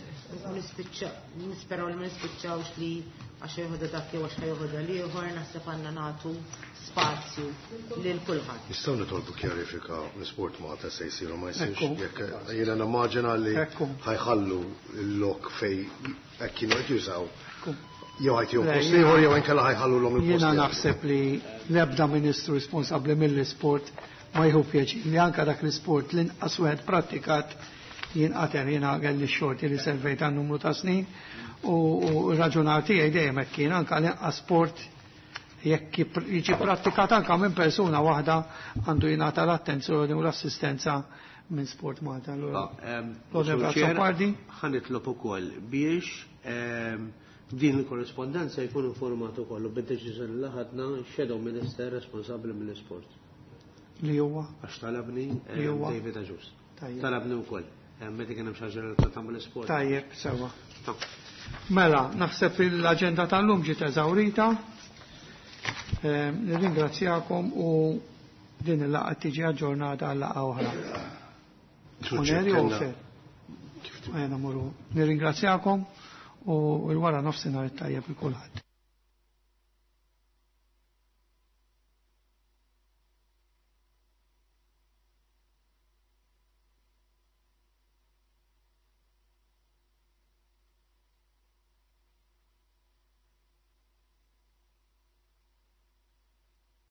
nisperaw li ma nispiċċawx li għax jieħodha dak jew għax ħajħodha l-ieħor, naħseb għandna nagħtu spazju lil kulħadd. Nistgħu nitolbu kjarifika l-Sport Malta se jsiru ma jsirx. Ekku. Jekk jiena nimmaġina li Ekku. ħajħallu l-lok fej hekk kienu qed jużaw. Ekku. Jew ħajtihom Le, post jiena ieħor jew inkella ħajħallu l-om il-post Jiena ieħor. naħseb li l-ebda ministru responsabbli mill-isport ma jieħu pjaċir li anka dak l-isport l-inqas wieħed prattikat jinqatel. Jiena kelli x-xorti li servejt għal numru ta' snin u r-raġunar tiegħi dejjem hekk kien anka l-inqas sport jekk jiġi prattikat anka minn persuna waħda għandu jingħata l-attenzjoni u l-assistenza minn Sport Malta. Allura, L-Onorevole Azzopardi. Ħa nitlob ukoll biex din il-korrispondenza jkun informat ukoll u bid-deċiżjoni li ħadna Shadow Minister responsabbli mill-isport. Li huwa? Għax talabni David Agius. Talabni wkoll. Meta kien hemm xi ħaġa relatata mal-isport. Tajjeb, sewwa. Mela, naħseb l-aġenda tal-lum ġiet eżawrita. Nirringrazzjakom u din il-laqgħa tiġi aġġornata għal laqgħa oħra. Oneri u fer. Nirringrazzjakom u l-wara nofsinhar it-tajjeb il kulħadd.